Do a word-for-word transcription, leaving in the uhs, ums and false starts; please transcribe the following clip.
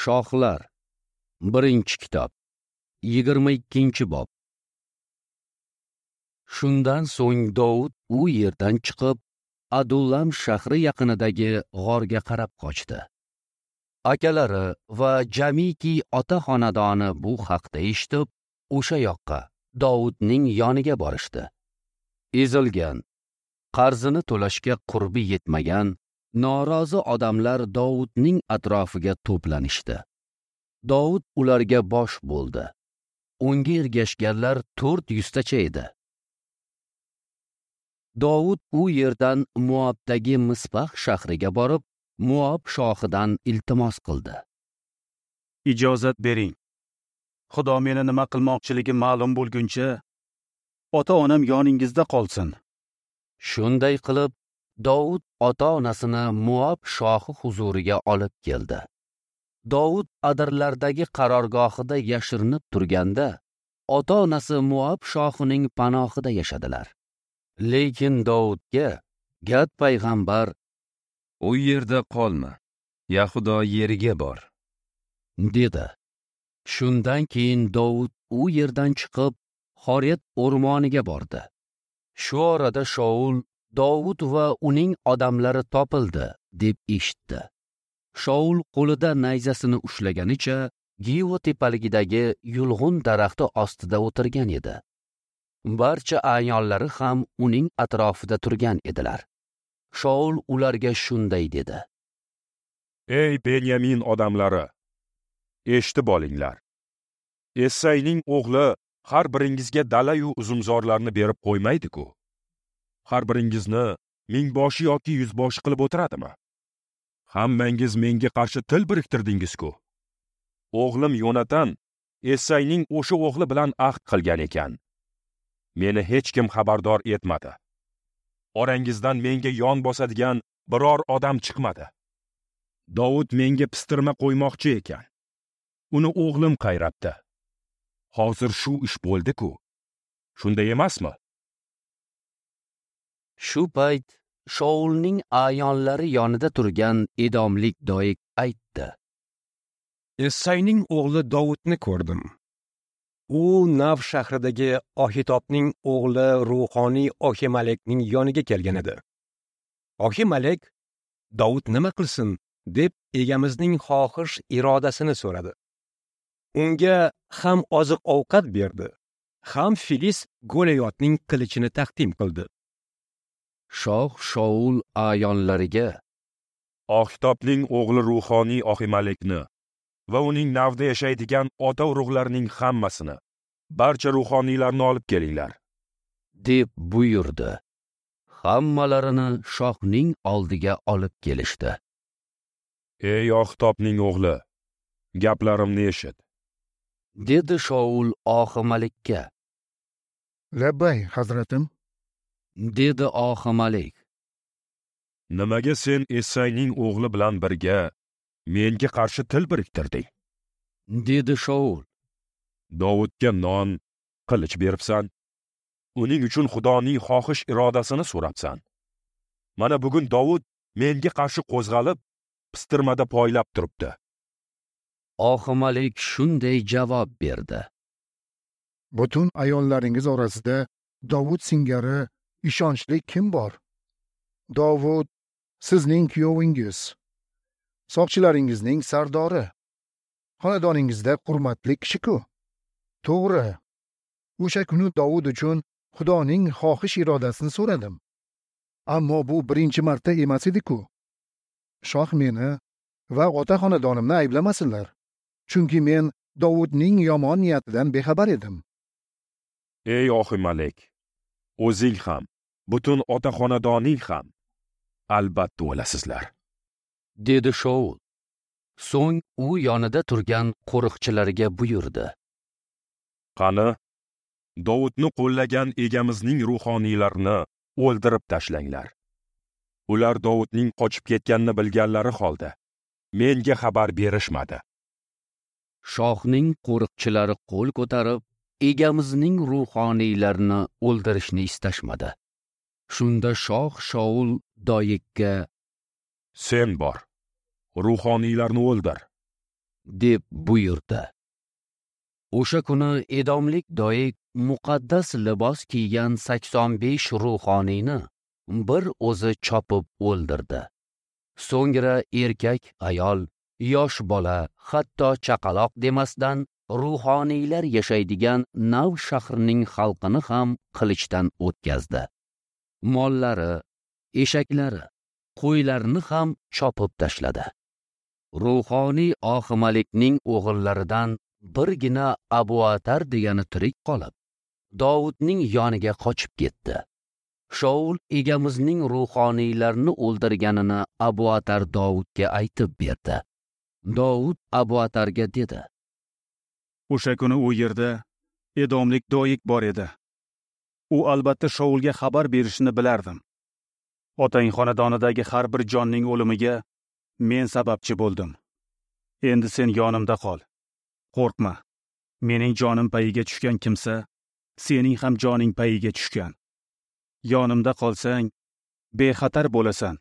Shohlar, birinchi kitob, yigirma ikkinchi bob. Shundan so'ng Dovud u yerdan chiqib, Adullam shahri yaqinidagi g'orga qarab qochdi. Akalari va jamiki ota xonadoni bu haqda eshitib, o'sha yoqqa Dovudning yoniga borishdi. Ezilgan, qarzini to'lashga qurbi yetmagan norozi odamlar Dovudning atrofiga to'planishdi. Dovud ularga bosh bo'ldi. Unga ergashganlar to'rt yuztacha edi. Dovud u yerdan Moabdagi Mispax shahriga borib, Moab shohidan iltimos qildi. Ijozat bering. Xudo meni nima qilmoqchiligi ma'lum bo'lguncha, ota-onam yoningizda qolsin. Shunday qilib, Dovud ota-onasini Moab shohi huzuriga olib keldi. Dovud adirlardagi qarorgohida yashirinib turganda, ota-onasi Moab shohining panohida yashadilar. Lekin Dovudga Gad payg'ambar: "U yerda qolma, Yahudo yeriga bor", dedi. Shundan keyin Dovud u yerdan chiqib, Xoret o'rmoniga bordi. Shu orada Shaul Dovud va uning odamlari topildi deb eshitdi. Shaul qo'lida nayzasini ushlaganicha Givo tepaligidagi yulg'un daraxti ostida o'tirgan edi. Barcha ayollari ham uning atrofida turgan edilar. Shaul ularga shunday dedi: "Ey Benyamin odamlari, eshitib olinglar. Essayning o'g'li har biringizga dala-yu uzumzorlarni berib qo'ymaydi-ku. Har biringizni mingboshi yoki yuzboshi qilib o'tiradimi? Hammangiz menga qarshi til biriktirdingiz-ku. O'g'lim Yonatan Essayning o'sha o'g'li bilan ahd qilgan ekan. Meni hech kim xabardor etmadi. Orangizdan menga yon bosadigan biror odam chiqmadi. Dovud menga pistirma qo'ymoqchi ekan. Uni o'g'lim qayrabdi. Hozir shu ish bo'ldi-ku. Shunday emasmi?" Shu payt Shaulning ayonlari yonida turgan edomlik Doik aytdi: "Essayning o'g'li Dovudni ko'rdim. U Nav shahridagi Ohitobning o'g'li ruhoniy Ohimalekning yoniga kelgan edi. Ohimalek Dovud nima qilsin deb egamizning xohish irodasini so'radi. Unga ham oziq-ovqat berdi, ham Filis Goliyotning qilichini taqdim qildi." Shoh Shaul ayonlariga: "Ohitobning o'g'li ruhoniy Ohimalekni va uning Navda yashaydigan ota urug'larining hammasini, barcha ruhoniylarni olib kelinglar", deb buyurdi. Hammalarini shohning oldiga olib kelishdi. "Ey Ohitobning o'g'li, gaplarimni eshit", dedi Shaul Ohimalekka. "Labbay, hazratim", dedi Ohimalek. "Nimaga sen Essayning o'g'li bilan birga menga qarshi til biriktirding?" dedi Shaul. "Dovudga non, qilich beribsan. Uning uchun Xudoning xohish irodasini so'rabsan. Mana bugun Dovud menga qarshi qo'zg'alib, pistirmada poylab turibdi." Ohimalek shunday javob berdi: "Butun ayollaringiz orasida Dovud singari ishonchli kim bor? Dovud sizning kuyovingiz, soqchilaringizning sardori, xonadoningizda hurmatli kishi-ku. To'g'ri, o'sha kuni Dovud uchun Xudoning xohish irodasini so'radim. Ammo bu birinchi marta emas edi-ku. Shoh meni va ota xonadonimni ayblamasinlar, chunki men Dovudning yomon niyatidan bexabar edim." "Ey Ohimalek, o'zing ham, butun ota xonadoning ham albatta o'lasizlar", dedi Shaul. So'ng u yonida turgan qo'riqchilarga buyurdi: "Qani, Dovudni qo'llagan egamizning ruhoniylarini o'ldirib tashlanglar. Ular Dovudning qochib ketganini bilganlari holda menga xabar berishmadi." Shohning qo'riqchilari qo'l ko'tarib, egamizning ruhoniylarini o'ldirishni istashmadi. Shunda shoh Shaul Doikka: "Sen bor, ruhoniylarni o'ldir", deb buyurdi. O'sha kuni edomlik Doeg muqaddas libos kiygan sakson besh ruhoniyni bir o'zi chopib o'ldirdi. So'ngra erkak, ayol, yosh bola, hatto chaqaloq demasdan ruhoniylar yashaydigan Nav shahrining xalqini ham qilichdan o'tkazdi. Mollari, eshaklari, qo'ylarini ham chopib tashladi. Ruhoniy Oximalikning o'g'illaridan birgina Abuatar degani tirik qolib, Dovudning yoniga qochib ketdi. Shaul egamizning ruhoniylarni o'ldirganini Abuatar Dovudga aytib berdi. Dovud Abuatarga dedi: O'sha kuni u yerda edomlik Doeg bor edi. U albatta Shaulga xabar berishini bilardim. Otang xonadonidagi har bir jonning o'limiga men sababchi bo'ldim. Endi sen yonimda qol. Qo'rqma. Mening jonim payiga tushgan kimsa, sening ham joning payiga tushgan. Yonimda qolsang, bexatar bo'lasan.